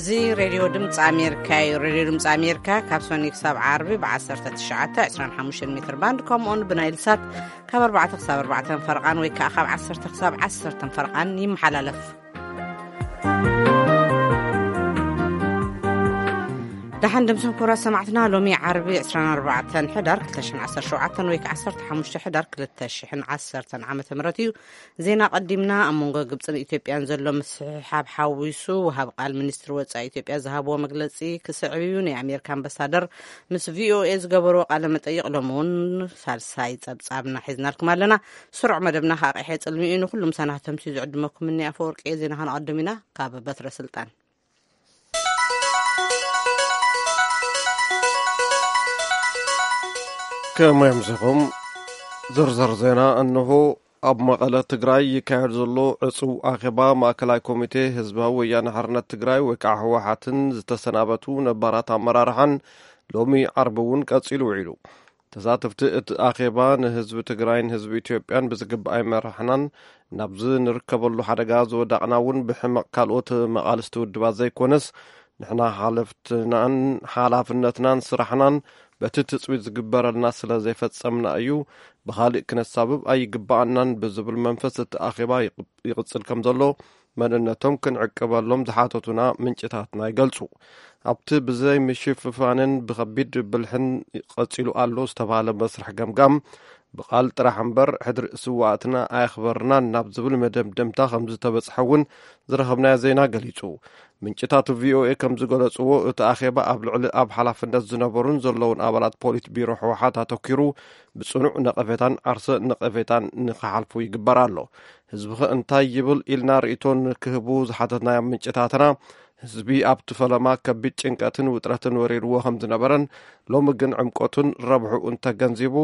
እዚ ሬድዮ ድምፂ ኣሜሪካ እዩ። ሬድዮ ድምፂ ኣሜሪካ ካብ ሰኑይ ክሳብ ዓርቢ ብ19፣ 25 ሜትር ባንድ፣ ከምኡውን ብናይል ሳት ካብ ኣርባዕተ ክሳብ ኣርባዕተ ፈረቓን ወይ ከዓ ካብ ዓሰርተ ክሳብ ዓሰርተ ፈረቓን ይመሓላለፍ። ደሓን ድምፅን ክቡራት ሰማዕትና፣ ሎሚ ዓርቢ 24 ሕዳር 2017 ወይ ከዓ 15 ሕዳር 2010 ዓመተ ምህረት እዩ። ዜና ቀዲምና። ኣብ መንጎ ግብፅን ኢትዮጵያን ዘሎ ምስሕሓብ ሓዊሱ፣ ወሃብ ቃል ሚኒስትሪ ወፃኢ ኢትዮጵያ ዝሃብዎ መግለፂ ክስዕብ እዩ። ናይ ኣሜሪካ ኣምባሳደር ምስ ቪኦኤ ዝገበርዎ ቃለ መጠይቕ ሎሚ እውን ሳልሳይ ፀብፃብና ሒዝናልኩም ኣለና። ስሩዕ መደብና ከዓ ቀይሐ ፅልሚ እዩ። ንኩሉ ምሳና ከተምስዩ ዝዕድመኩም እኒ ኣፈወርቂ እየ። ዜና ከነቐድም ኢና። ካብ በትረ ስልጣን ከመይ ኣምሲኹም? ዝርዝር ዜና እንሆ። ኣብ መቐለ ትግራይ ይካየድ ዘሎ ዕጹው ኣኼባ ማእከላይ ኮሚቴ ህዝባዊ ወያነ ሓርነት ትግራይ ወይ ከዓ ህወሓትን ዝተሰናበቱ ነባራት ኣመራርሓን ሎሚ ዓርቢ እውን ቀጺሉ ውዒሉ። ተሳተፍቲ እቲ ኣኼባ ንህዝቢ ትግራይን ህዝቢ ኢትዮጵያን ብዝግባእ ኣይመራሕናን፣ ናብዚ ንርከበሉ ሓደጋ ዝወዳቕና እውን ብሕመቕ ካልኦት መቓልስቲ ውድባት ዘይኮነስ፣ ንሕና ሓለፍትናን ሓላፍነትናን ስራሕናን በቲ ትጽቢት ዝግበረልና ስለ ዘይፈጸምና እዩ። ብኻሊእ ክነሳብብ ኣይግባኣናን ብዝብል መንፈስ እቲ ኣኼባ ይቕ-፣ ይቕጽል ከም ዘሎ መንነቶም ክንዕቅበሎም ዝሓተቱና ምንጭታትና ይገልጹ። ኣብቲ ብዘይ ምሽፍፋንን ብኸቢድ ብልሕን ቀጺሉ ኣሎ ዝተባህለ መስርሕ ገምጋም፣ ብቓል ጥራሕ እምበር ሕድሪ ስዋእትና ኣየኽበርናን ናብ ዝብል መደምደምታ ከም ዝተበጽሐ እውን ዝረኸብናዮ ዜና ገሊጹ። ምንጭታት ቪኦኤ ከም ዝገለጽዎ፣ እቲ ኣኼባ ኣብ ልዕሊ ኣብ ሓላፍነት ዝነበሩን ዘለውን ኣባላት ፖሊት ቢሮ ህወሓት ኣተኪሩ ብጽኑዕ ነቐፌታን ዓርሰ ነቐፌታን ንኽሓልፉ ይግበር ኣሎ። ህዝብኸ እንታይ ይብል ኢልና ርእይቶ ንክህቡ ዝሓተትናዮም ምንጭታትና፣ ህዝቢ ኣብቲ ፈለማ ከቢድ ጭንቀትን ውጥረትን ወሪርዎ ከም ዝነበረን፣ ሎሚ ግን ዕምቆቱን ረብሕኡን ተገንዚቡ፣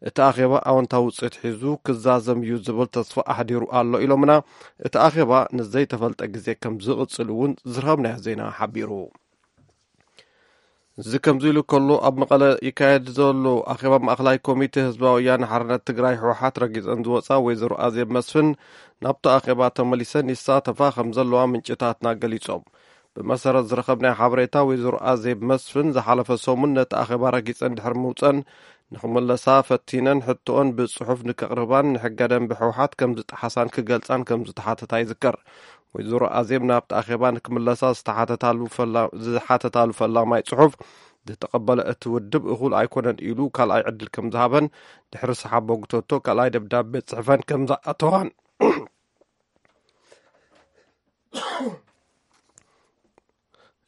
እቲ ኣኼባ ኣወንታዊ ውጽኢት ሒዙ ክዛዘም እዩ ዝብል ተስፋ ኣሕዲሩ ኣሎ ኢሎምና። እቲ ኣኼባ ንዘይተፈልጠ ግዜ ከም ዝቕጽል እውን ዝረኸብናዮ ዜና ሓቢሩ። እዚ ከምዚ ኢሉ ከሎ፣ ኣብ መቐለ ይካየድ ዘሎ ኣኼባ ማእኸላይ ኮሚቴ ህዝባዊ ወያነ ሓርነት ትግራይ ህወሓት ረጊፀን ዝወፃ ወይዘሮ ኣዜብ መስፍን ናብቲ ኣኼባ ተመሊሰን ይሳተፋ ከም ዘለዋ ምንጭታትና ገሊፆም። ብመሰረት ዝረኸብናዮ ሓበሬታ፣ ወይዘሮ ኣዜብ መስፍን ዝሓለፈ ሰሙን ነቲ ኣኼባ ረጊፀን ድሕሪ ምውፀን ንኽመለሳ ፈቲነን ሕቶኦን ብፅሑፍ ንከቕርባን ንሕገ ደንቢ ህወሓት ከም ዝጠሓሳን ክገልፃን ከም ዝተሓተታ ይዝከር። ወይዘሮ ኣዜብ ናብቲ ኣኼባ ንክምለሳ ዝተሓተታሉ ፈላ-፣ ዝሓተታሉ ፈላማይ ጽሑፍ ዝተቐበለ እቲ ውድብ እኹል ኣይኮነን ኢሉ ካልኣይ ዕድል ከም ዝሃበን ድሕሪ ሰሓቦ ግቶቶ ካልኣይ ደብዳቤ ጽሕፈን ከም ዝኣተዋን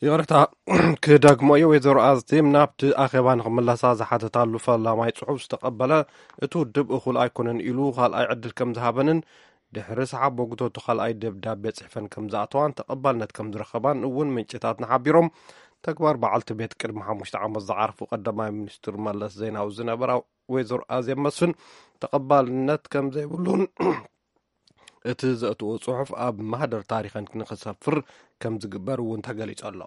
ይቕርታ ክደግሞ እየ። ወይዘሮ ኣዜብ ናብቲ ኣኼባ ንክምለሳ ዝሓተታሉ ፈላማይ ጽሑፍ ዝተቐበለ እቲ ውድብ እኹል ኣይኮነን ኢሉ ካልኣይ ዕድል ከም ዝሃበንን ድሕሪ ሰሓቦ ግቶቶ ካልኣይ ደብዳቤ ጽሕፈን ከም ዝኣተዋን ተቐባልነት ከም ዝረኸባን እውን ምንጭታትና ሓቢሮም። ተግባር በዓልቲ ቤት ቅድሚ ሓሙሽተ ዓመት ዝዓርፉ ቀዳማይ ሚኒስትር መለስ ዜናዊ ዝነበራ ወይዘሮ ኣዜብ መስፍን ተቐባልነት ከም ዘይብሉን እቲ ዘእትዎ ጽሑፍ ኣብ ማህደር ታሪኸን ንኽሰፍር ከም ዝግበር እውን ተገሊጹ ኣሎ።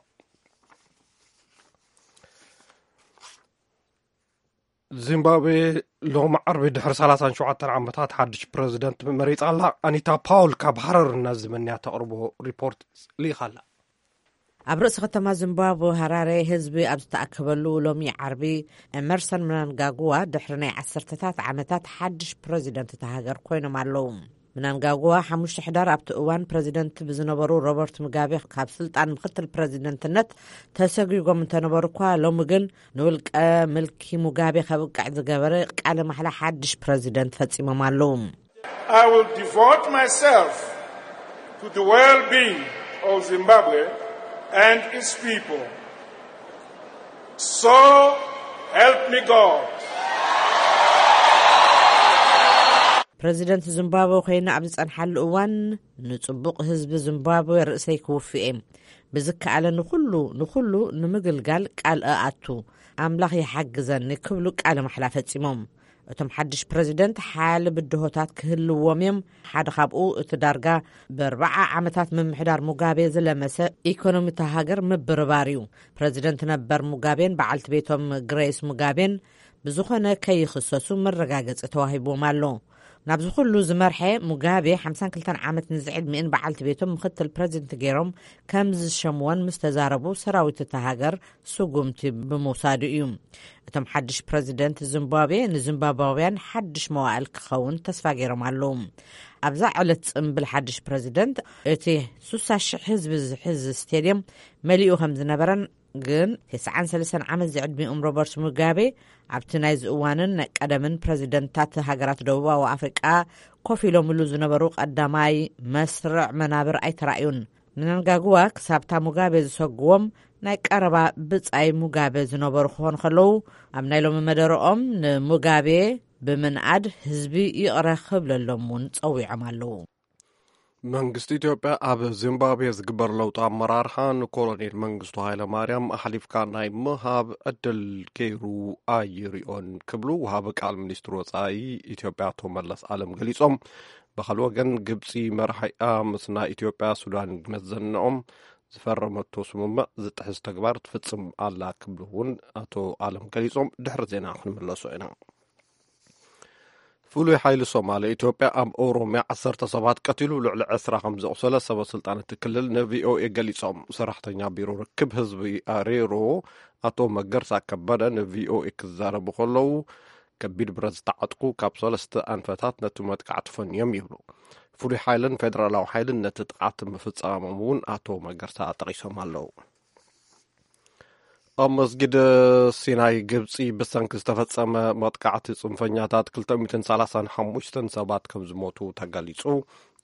ዚምባብዌ ሎሚ ዓርቢ ድሕሪ 37 ዓመታት ሓድሽ ፕረዚደንት መሪጻ ኣላ። ኣኒታ ፓውል ካብ ሃረር እናዝመንያ ተቕርቦ ሪፖርት ልኢኻ ኣላ። ኣብ ርእሲ ከተማ ዚምባብዌ ሃራሬ ህዝቢ ኣብ ዝተኣከበሉ ሎሚ ዓርቢ፣ ኤመርሰን ምናንጋጉዋ ድሕሪ ናይ ዓሰርተታት ዓመታት ሓድሽ ፕረዚደንት እታ ሃገር ኮይኖም ኣለዉ። ምናንጋጉዋ ሓሙሽተ ሕዳር ኣብቲ እዋን ፕረዚደንት ብዝነበሩ ሮበርት ሙጋቤ ካብ ስልጣን ምክትል ፕረዚደንትነት ተሰጒጎም እንተነበሩ እኳ፣ ሎሚ ግን ንውልቀ ምልኪ ሙጋቤ ከብቅዕ ዝገበረ ቃለ ማሕላ ሓድሽ ፕረዚደንት ፈጺሞም ኣለዉ። I will devote myself to the well-being of Zimbabwe and its people. So help me God. ፕረዚደንት ዚምባብወ ኮይነ ኣብ ዝጸንሓሉ እዋን፣ ንጽቡቕ ህዝቢ ዚምባብወ ርእሰይ ክውፍእ እየ። ብዝከኣለ ንኹሉ፣ ንኹሉ ንምግልጋል ቃል እኣቱ። ኣምላኽ ይሓግዘኒ ክብሉ ቃለ ማሕላ ፈጺሞም። እቶም ሓድሽ ፕረዚደንት ሓያለ ብድሆታት ክህልዎም እዮም። ሓደ ካብኡ እቲ ዳርጋ ብኣርብዓ ዓመታት ምምሕዳር ሙጋቤ ዝለመሰ ኢኮኖሚ እታ ሃገር ምብርባር እዩ። ፕረዚደንት ነበር ሙጋቤን በዓልቲ ቤቶም ግሬስ ሙጋቤን ብዝኾነ ከይኽሰሱ መረጋገጺ ተዋሂብዎም ኣሎ። ናብዚ ኩሉ ዝመርሐ፣ ሙጋቤ ሓምሳን ክልተን ዓመት ንዝዕድሚእን በዓልቲ ቤቶም ምኽትል ፕረዚደንት ገይሮም ከም ዝሸምወን ምስ ተዛረቡ፣ ሰራዊት እታ ሃገር ስጉምቲ ብምውሳዱ እዩ። እቶም ሓድሽ ፕረዚደንት ዚምባብዌ ንዚምባብያውያን ሓድሽ መዋእል ክኸውን ተስፋ ገይሮም ኣለዉ። ኣብዛ ዕለት ጽምብል ሓድሽ ፕረዚደንት፣ እቲ ሱሳ ሽሕ ህዝቢ ዝሕዝ ስቴድየም መሊኡ ከም ዝነበረን፣ ግን ተስዓን ሰለስተን ዓመት ዝዕድሚኦም ሮበርት ሙጋቤ ኣብቲ ናይዚ እዋንን ናይ ቀደምን ፕረዚደንታት ሃገራት ደቡባዊ ኣፍሪቃ ኮፍ ኢሎምሉ ዝነበሩ ቀዳማይ መስርዕ መናብር ኣይተራእዩን። ምናንጋግዋ ክሳብታ ሙጋቤ ዝሰግዎም ናይ ቀረባ ብጻይ ሙጋቤ ዝነበሩ ክኾኑ ከለዉ፣ ኣብ ናይ ሎሚ መደረኦም ንሙጋቤ ብምንኣድ ህዝቢ ይቕረ ክብለሎም እውን ጸዊዖም ኣለዉ። መንግስቲ ኢትዮጵያ ኣብ ዚምባብዌ ዝግበር ለውጢ ኣመራርሓ ንኮሎኔል መንግስቱ ሃይለ ማርያም ኣሕሊፍካ ናይ ምሃብ ዕድል ገይሩ ኣይሪኦን ክብሉ ወሃቢ ቃል ሚኒስትሪ ወጻኢ ኢትዮጵያ ኣቶ መለስ ኣለም ገሊጾም። ብኻልእ ወገን ግብጺ መራሒኣ ምስ ናይ ኢትዮጵያ ሱዳን መዘንኦም ዝፈረመቶ ስምምዕ ዝጥሕስ ተግባር ትፍጽም ኣላ ክብሉ እውን ኣቶ ኣለም ገሊጾም። ድሕሪ ዜና ክንምለሶ ኢና። ፍሉይ ሓይሊ ሶማሌ ኢትዮጵያ ኣብ ኦሮሚያ ዓሰርተ ሰባት ቀቲሉ ልዕሊ ዕስራ ከም ዘቑሰለ ሰበ ስልጣን እቲ ክልል ንቪኦኤ ገሊጾም። ሰራሕተኛ ቢሮ ርክብ ህዝቢ ኣሬሮ ኣቶ መገርሳ ከበደ ንቪኦኤ ክዛረቡ ከለዉ፣ ከቢድ ብረት ዝተዓጥቁ ካብ ሰለስተ ኣንፈታት ነቲ መጥቃዕቲ ፈንዮም ይብሉ። ፍሉይ ሓይልን ፌደራላዊ ሓይልን ነቲ ጥቃት ምፍጻሞም እውን ኣቶ መገርሳ ጠቒሶም ኣለዉ። ኣብ መስጊድ ሲናይ ግብጺ ብሰንኪ ዝተፈጸመ መጥቃዕቲ ጽንፈኛታት ክልተ ሚእትን ሰላሳን ሓሙሽተን ሰባት ከም ዝሞቱ ተገሊጹ።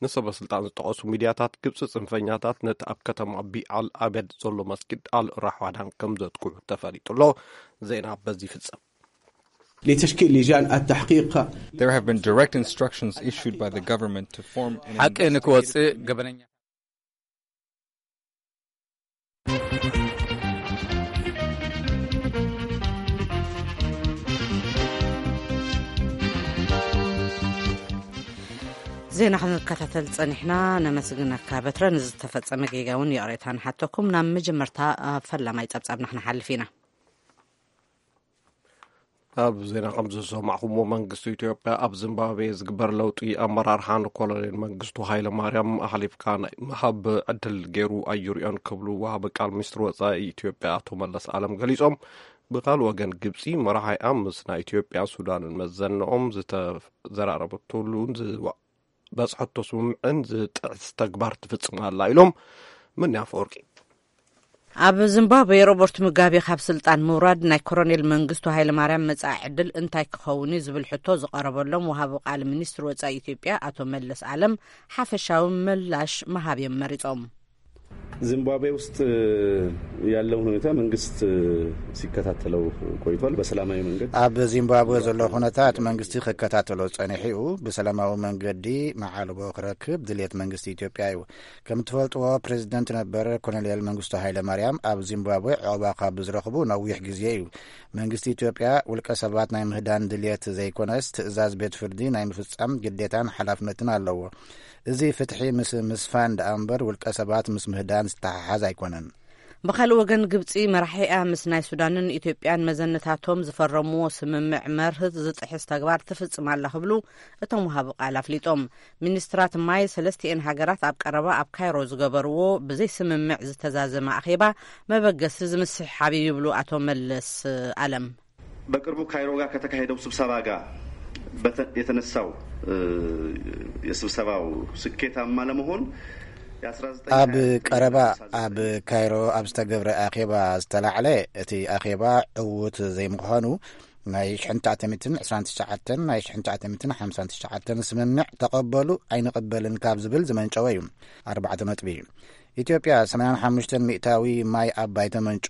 ንሰበ ስልጣን ዝጠቐሱ ሚድያታት ግብጺ ጽንፈኛታት ነቲ ኣብ ከተማ ቢዓል ኣበድ ዘሎ መስጊድ ኣል ራሕዋዳን ከም ዘጥቅዑ ተፈሊጡ ኣሎ። ዜና በዚ ይፍጸም። لتشكيل لجان التحقيق. There have been direct instructions issued by the government to form an ሓቂ ንክወጽእ ገበነኛ ዜና ክንከታተል ጸኒሕና። ነመስግነካ በትረ። ንዝተፈጸመ ጌጋ እውን ይቕሬታ ንሓተኩም። ናብ መጀመርታ፣ አ፣ ፈላማይ ጸብጻብና ክንሓልፍ ኢና። ኣብ ዜና ከም ዝሰማዕኹምዎ፣ መንግስቲ ኢትዮጵያ ኣብ ዚምባብዌ ዝግበር ለውጢ ኣመራርሓ ንኮሎኔል መንግስቱ ሃይለ ማርያም ኣሕሊፍካ ናይ ምሃብ ዕድል ገይሩ ኣይርእዮን ክብሉ ወሃቢ ቃል ሚኒስትሪ ወጻኢ ኢትዮጵያ ኣቶ መለስ ኣለም ገሊጾም። ብኻልእ ወገን፣ ግብጺ መራሒኣ ምስ ናይ ኢትዮጵያን ሱዳንን መዘንኦም ዝተዘራረበትሉን ዝዋ-፣ በጽሐቶ ስምምዕን ዝጥዕስ ተግባር ትፍጽም ኣላ ኢሎም ምንያ ኣፈወርቂ። ኣብ ዚምባብዌ ሮበርት ሙጋቤ ካብ ስልጣን ምውራድ ናይ ኮሎኔል መንግስቱ ሃይለማርያም መጻኢ ዕድል እንታይ ክኸውን እዩ ዝብል ሕቶ ዝቐረበሎም ወሃቢ ቃል ሚኒስትሪ ወጻኢ ኢትዮጵያ ኣቶ መለስ ኣለም ሓፈሻዊ ምላሽ ምሃብ እዮም መሪጾም። ዚምባብዌ ውስጥ ያለውን ሁኔታ መንግስት ሲከታተለው ቆይቷል። በሰላማዊ መንገድ ኣብ ዚምባብዌ ዘሎ ኩነታት መንግስቲ ክከታተሎ ጸኒሑ እዩ። ብሰላማዊ መንገዲ መዓልቦ ክረክብ ድልየት መንግስቲ ኢትዮጵያ እዩ። ከም ትፈልጥዎ፣ ፕሬዚደንት ነበር ኮሎኔል መንግስቱ ሃይለ ማርያም ኣብ ዚምባብዌ ዕቑባ ካብ ዝረኽቡ ነዊሕ ግዜ እዩ። መንግስቲ ኢትዮጵያ ውልቀ ሰባት ናይ ምህዳን ድልየት ዘይኮነስ፣ ትእዛዝ ቤት ፍርዲ ናይ ምፍጻም ግዴታን ሓላፍነትን ኣለዎ። እዚ ፍትሒ ምስ ምስፋን ደኣ እምበር፣ ውልቀ ሰባት ምስ ምህዳን ዝተሓሓዝ ኣይኮነን። ብኻልእ ወገን፣ ግብጺ መራሒኣ ምስ ናይ ሱዳንን ኢትዮጵያን መዘነታቶም ዝፈረምዎ ስምምዕ መርህ ዝጥሕስ ተግባር ትፍጽም ኣላ ክብሉ እቶም ወሃቢ ቃል ኣፍሊጦም። ሚኒስትራት ማይ ሰለስቲኤን ሃገራት ኣብ ቀረባ ኣብ ካይሮ ዝገበርዎ ብዘይ ስምምዕ ዝተዛዘመ ኣኼባ መበገሲ ዝምስሕሓብ እዩ ይብሉ ኣቶ መለስ ኣለም። በቅርቡ ካይሮ ጋር ከተካሄደው ስብሰባ ጋር በተ-፣ የተነሳው፣ እ፣ የስብሰባው ስኬታማ ለመሆን የአስራ ዘጠኝ ኣብ ቀረባ ኣብ ካይሮ ኣብ ዝተገብረ ኣኼባ ዝተላዕለ፣ እቲ ኣኼባ ዕዉት ዘይምዃኑ፣ ናይ ሽሕን ትሽዓተ ሚእትን ዕስራን ትሽዓተን ናይ ሽሕን ትሽዓተ ሚእትን ሓምሳን ትሽዓተን ስምምዕ ተቐበሉ ኣይንቕበልን ካብ ዝብል ዝመንጨወ እዩ። ኣርባዕተ ነጥቢ። ኢትዮጵያ ሰማንያን ሓሙሽተን ሚእታዊ ማይ ኣባይ ተመንጩ።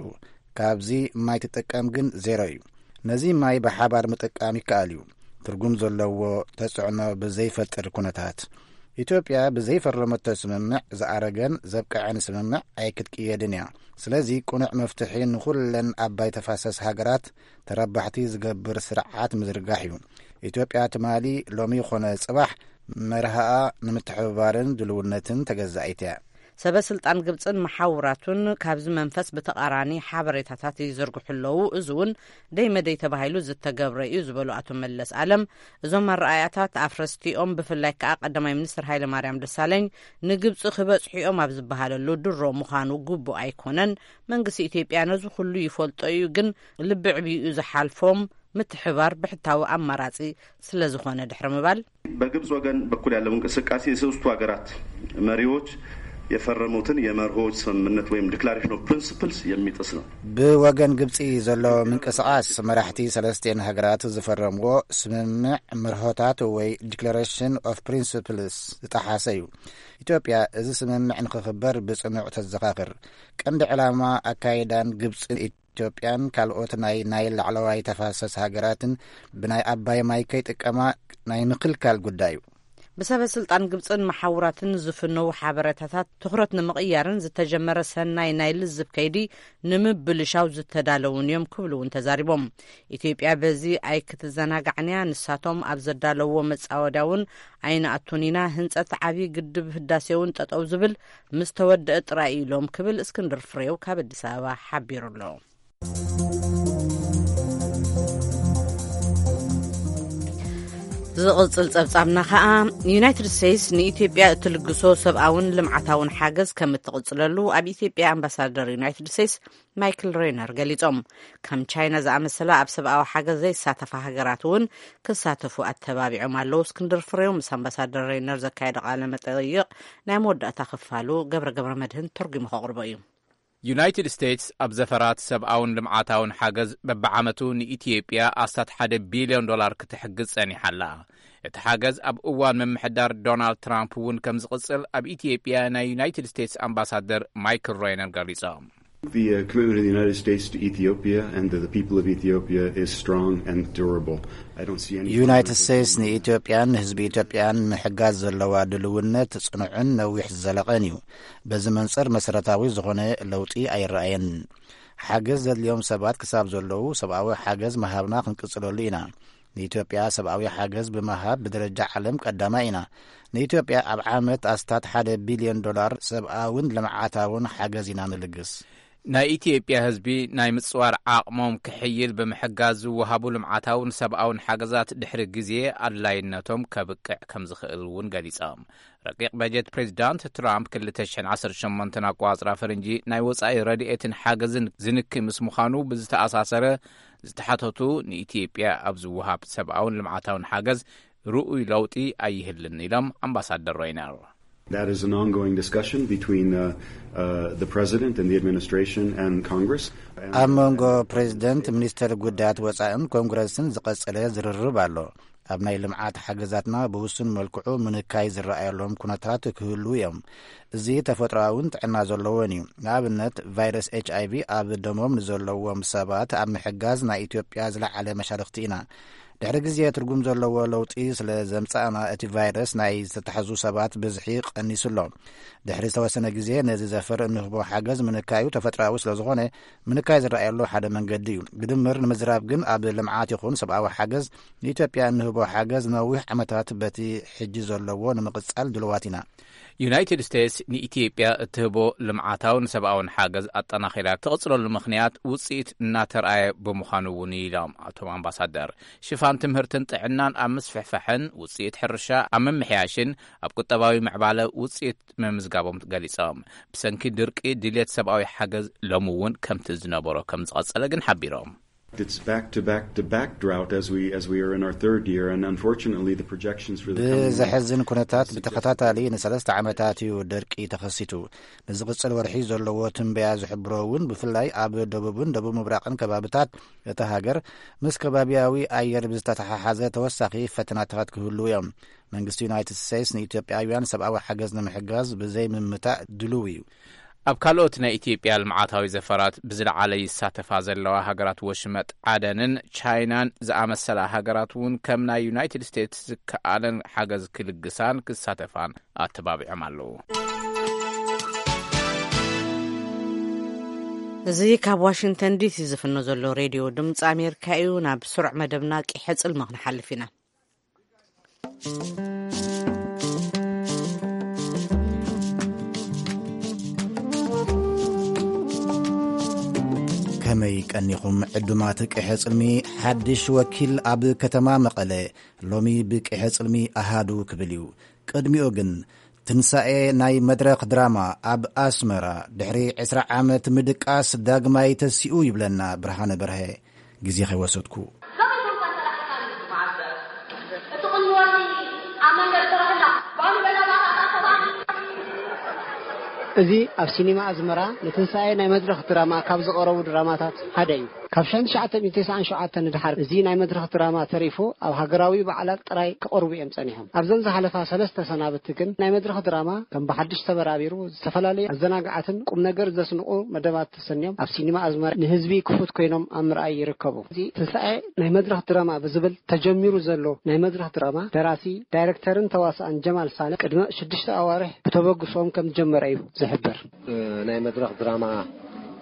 ካብዚ ማይ ትጥቀም ግን ዜሮ እዩ። ነዚ ማይ ብሓባር ምጥቃም ይከኣል እዩ። ትርጉም ዘለዎ ተጽዕኖ ብዘይፈጥር ኩነታት። ኢትዮጵያ ብዘይፈረመቶ ስምምዕ ዝኣረገን ዘብቅዐን ስምምዕ ኣይክትቅየድን እያ። ስለዚ ቅኑዕ መፍትሒ ንኹለን ኣባይ ተፋሰስ ሃገራት ተረባሕቲ ዝገብር ስርዓት ምዝርጋሕ እዩ። ኢትዮጵያ ትማሊ፣ ሎሚ ይኾነ ጽባሕ መርሃኣ ንምትሕብባርን ድልውነትን ተገዛኢት እያ። ሰበ ስልጣን ግብፅን መሓውራቱን ካብዚ መንፈስ ብተቓራኒ ሓበሬታታት ይዝርግሑ ኣለዉ። እዚ እውን ደይ መደይ ተባሂሉ ዝተገብረ እዩ ዝበሉ ኣቶ መለስ ኣለም፣ እዞም ኣረኣያታት ኣፍረስቲኦም፣ ብፍላይ ከዓ ቀዳማይ ሚኒስትር ሃይለ ማርያም ደሳለኝ ንግብፂ ክበፅሑ እዮም ኣብ ዝበሃለሉ ድሮ ምዃኑ ግቡእ ኣይኮነን። መንግስቲ ኢትዮጵያ ነዚ ኩሉ ይፈልጦ እዩ፣ ግን ልቢ ዕብዩ ዝሓልፎም ምትሕባር ብሕታዊ ኣማራፂ ስለ ዝኾነ ድሕሪ ምባል፣ በግብጽ ወገን በኩል ያለው እንቅስቃሴ የሶስቱ ሀገራት መሪዎች የፈረሙትን የመርሆዎች ስምምነት ወይም ዲክላሬሽን ኦፍ ፕሪንስፕልስ የሚጥስ ነው። ብወገን ግብጺ ዘሎ ምንቅስቃስ መራሕቲ ሰለስቲኤን ሃገራት ዝፈረምዎ ስምምዕ መርሆታት ወይ ዲክላሬሽን ኦፍ ፕሪንስፕልስ ዝጠሓሰ እዩ። ኢትዮጵያ እዚ ስምምዕ ንክኽበር ብጽኑዕ ተዘኻኽር። ቀንዲ ዕላማ ኣካይዳን ግብጽን ኢትዮጵያን ካልኦት ናይ ናይል ላዕለዋይ ተፋሰስ ሃገራትን ብናይ ኣባይ ማይ ከይጥቀማ ናይ ምክልካል ጉዳይ እዩ። ብሰበ ስልጣን ግብፅን መሓውራትን ዝፍነው ሓበሬታታት ትኹረት ንምቕያርን ዝተጀመረ ሰናይ ናይ ልዝብ ከይዲ ንምብልሻው ዝተዳለውን እዮም ክብሉ እውን ተዛሪቦም። ኢትዮጵያ በዚ ኣይክትዘናጋዕንያ፣ ንሳቶም ኣብ ዘዳለውዎ መፃወድያ እውን ኣይንኣቱን ኢና፣ ህንፀት ዓብዪ ግድብ ህዳሴ እውን ጠጠው ዝብል ምስ ተወደአ ጥራይ ኢሎም ክብል እስክንድር ፍሬው ካብ ኣዲስ ኣበባ ሓቢሩ ኣሎ። ዝቕጽል ጸብጻብና ኸኣ፣ ዩናይትድ ስቴትስ ንኢትዮጵያ እትልግሶ ሰብኣውን ልምዓታውን ሓገዝ ከም እትቕጽለሉ ኣብ ኢትዮጵያ ኣምባሳደር ዩናይትድ ስቴትስ ማይክል ሬነር ገሊጾም። ከም ቻይና ዝኣመሰላ ኣብ ሰብኣዊ ሓገዝ ዘይሳተፋ ሃገራት እውን ክሳተፉ ኣተባቢዖም ኣለዉ። እስክንድር ፍሬው ምስ ኣምባሳደር ሬነር ዘካየደ ቃለ መጠይቕ ናይ መወዳእታ ክፋሉ ገብረ ገብረ መድህን ተርጒሙ ከቕርቦ እዩ። ዩናይትድ ስቴትስ ኣብ ዘፈራት ሰብኣውን ልምዓታውን ሓገዝ በብዓመቱ ንኢትዮጵያ ኣስታት ሓደ ቢልዮን ዶላር ክትሕግዝ ጸኒሓ ኣላ። እቲ ሓገዝ ኣብ እዋን ምምሕዳር ዶናልድ ትራምፕ እውን ከም ዝቕጽል ኣብ ኢትዮጵያ ናይ ዩናይትድ ስቴትስ ኣምባሳደር ማይክል ሬነር ገሊጾም። The uh, commitment of the United States to Ethiopia and to the people of Ethiopia is strong and durable. I don't see any ዩናይትድ ስቴትስ ንኢትዮጵያን ንህዝቢ ኢትዮጵያን ምሕጋዝ ዘለዋ ድልውነት ጽኑዕን ነዊሕ ዝዘለቐን እዩ። በዚ መንጽር መሰረታዊ ዝኾነ ለውጢ ኣይረኣየን። ሓገዝ ዘድልዮም ሰባት ክሳብ ዘለዉ ሰብኣዊ ሓገዝ ምሃብና ክንቅጽለሉ ኢና። ንኢትዮጵያ ሰብኣዊ ሓገዝ ብምሃብ ብደረጃ ዓለም ቀዳማይ ኢና። ንኢትዮጵያ ኣብ ዓመት ኣስታት ሓደ ቢልዮን ዶላር ሰብኣውን ልምዓታውን ሓገዝ ኢና ንልግስ። ናይ ኢትዮጵያ ህዝቢ ናይ ምጽዋር ዓቕሞም ክሕይል ብምሕጋዝ ዝወሃቡ ልምዓታውን ሰብኣውን ሓገዛት ድሕሪ ግዜ ኣድላይነቶም ከብቅዕ ከም ዝኽእል እውን ገሊጾም። ረቂቕ በጀት ፕሬዚዳንት ትራምፕ ክልተ ሽሕን ዓሰርተ ሸሞንተን ኣቋጽራ ፈረንጂ ናይ ወጻኢ ረድኤትን ሓገዝን ዝንኪ ምስ ምዃኑ ብዝተኣሳሰረ ዝተሓተቱ ንኢትዮጵያ ኣብ ዝወሃብ ሰብኣውን ልምዓታውን ሓገዝ ርኡይ ለውጢ ኣይህልን ኢሎም ኣምባሳደር ሮይነር። That is an ongoing discussion between uh, uh, the president and the administration and Congress. ኣብ መንጎ ፕሬዚደንት፣ ሚኒስተር ጉዳያት ወጻእን ኮንግረስን ዝቐጸለ ዝርርብ ኣሎ። ኣብ ናይ ልምዓት ሓገዛትና ብውሱን መልክዑ ምንካይ ዝረኣየሎም ኩነታት ክህሉ እዮም። እዚ ተፈጥሮኣውን ጥዕና ዘለዎን እዩ። ንኣብነት፣ ቫይረስ ኤች ኣይ ቪ ኣብ ደሞም ንዘለዎም ሰባት ኣብ ምሕጋዝ ናይ ኢትዮጵያ ዝለዓለ መሻርኽቲ ኢና። ድሕሪ ግዜ ትርጉም ዘለዎ ለውጢ ስለ ዘምጻእና፣ እቲ ቫይረስ ናይ ዝተታሕዙ ሰባት ብዝሒ ቀኒሱ ኣሎ። ድሕሪ ዝተወሰነ ግዜ ነዚ ዘፈር እንህቦ ሓገዝ ምንካዩ ተፈጥሮኣዊ ስለ ዝኾነ፣ ምንካይ ዝረኣየሉ ሓደ መንገዲ እዩ። ብድምር ንምዝራብ ግን፣ ኣብ ልምዓት ይኹን ሰብኣዊ ሓገዝ ንኢትዮጵያ እንህቦ ሓገዝ ነዊሕ ዓመታት በቲ ሕጂ ዘለዎ ንምቕጻል ድልዋት ኢና። ዩናይትድ ስቴትስ ንኢትዮጵያ እትህቦ ልምዓታውን ሰብኣውን ሓገዝ ኣጠናኺራ ትቕጽለሉ ምኽንያት ውጽኢት እናተርኣየ ብምዃኑ እውን ኢሎም ኣቶም ኣምባሳደር። ሽፋን ትምህርትን ጥዕናን ኣብ ምስፍሕፋሕን ውጽኢት ሕርሻ ኣብ ምምሕያሽን ኣብ ቁጠባዊ ምዕባለ ውጽኢት ምምዝጋቦም ገሊጾም። ብሰንኪ ድርቂ ድልየት ሰብኣዊ ሓገዝ ሎሚ እውን ከምቲ ዝነበሮ ከም ዝቐጸለ ግን ሓቢሮም። It's back to back to back drought as we as we are in our third year, and unfortunately the projections for the coming ብዘሕዝን ኩነታት ብተኸታታሊ ንሰለስተ ዓመታት እዩ ደርቂ ተኸሲቱ። ንዝቕጽል ወርሒ ዘለዎ ትንበያ ዝሕብሮ እውን ብፍላይ ኣብ ደቡብን ደቡብ ምብራቕን ከባብታት እታ ሃገር ምስ ከባቢያዊ ኣየር ብዝተተሓሓዘ ተወሳኺ ፈተናታት ክህልዉ እዮም። መንግስቲ ዩናይትድ ስቴትስ ንኢትዮጵያውያን ሰብኣዊ ሓገዝ ንምሕጋዝ ብዘይ ምምታእ ድሉው እዩ። ኣብ ካልኦት ናይ ኢትዮጵያ ልምዓታዊ ዘፈራት ብዝለዓለ ይሳተፋ ዘለዋ ሃገራት ወሽመጥ ዓደንን ቻይናን ዝኣመሰላ ሃገራት እውን ከም ናይ ዩናይትድ ስቴትስ ዝከኣለን ሓገዝ ክልግሳን ክሳተፋን ኣተባቢዖም ኣለዉ። እዚ ካብ ዋሽንግተን ዲሲ ዝፍኖ ዘሎ ሬድዮ ድምፂ ኣሜሪካ እዩ። ናብ ስሩዕ መደብና ቂሐ ጽልሚ ክንሓልፍ ኢና። ቀኒኹም ዕዱማት ቀይሐ ጽልሚ፣ ሓድሽ ወኪል ኣብ ከተማ መቐለ ሎሚ ብቀይሐ ጽልሚ ኣሃዱ ክብል እዩ። ቅድሚኡ ግን ትንሳኤ ናይ መድረኽ ድራማ ኣብ ኣስመራ ድሕሪ ዕስራ ዓመት ምድቃስ ዳግማይ ተሲኡ ይብለና ብርሃነ በርሀ። ግዜ ከይወሰድኩ። እዚ ኣብ ሲኒማ ኣዝመራ ንትንሳኤ ናይ መድረኽ ድራማ ካብ ዝቐረቡ ድራማታት ሓደ እዩ። ካብ ሸሕን ትሽዓተ ሚእትን ተስዓን ሸውዓተን ንድሓር እዚ ናይ መድረኽ ድራማ ተሪፉ ኣብ ሃገራዊ በዓላት ጥራይ ክቐርቡ እዮም ጸኒሖም። ኣብዘን ዝሓለፋ ሰለስተ ሰናብቲ ግን ናይ መድረኽ ድራማ ከም ብሓድሽ ተበራቢሩ ዝተፈላለዩ ኣዘናጋዓትን ቁም ነገር ዘስንቑ መደባት ተሰንዮም ኣብ ሲኒማ ኣዝመራ ንህዝቢ ክፉት ኮይኖም ኣብ ምርኣይ ይርከቡ። እዚ ትንሳኤ ናይ መድረኽ ድራማ ብዝብል ተጀሚሩ ዘሎ ናይ መድረኽ ድራማ ደራሲ፣ ዳይሬክተርን ተዋሳእን ጀማል ሳልሕ ቅድሚ ሽዱሽተ ኣዋርሕ ብተበግሶኦም ከም ዝጀመረ እዩ ዝሕበር። ናይ መድረኽ ድራማ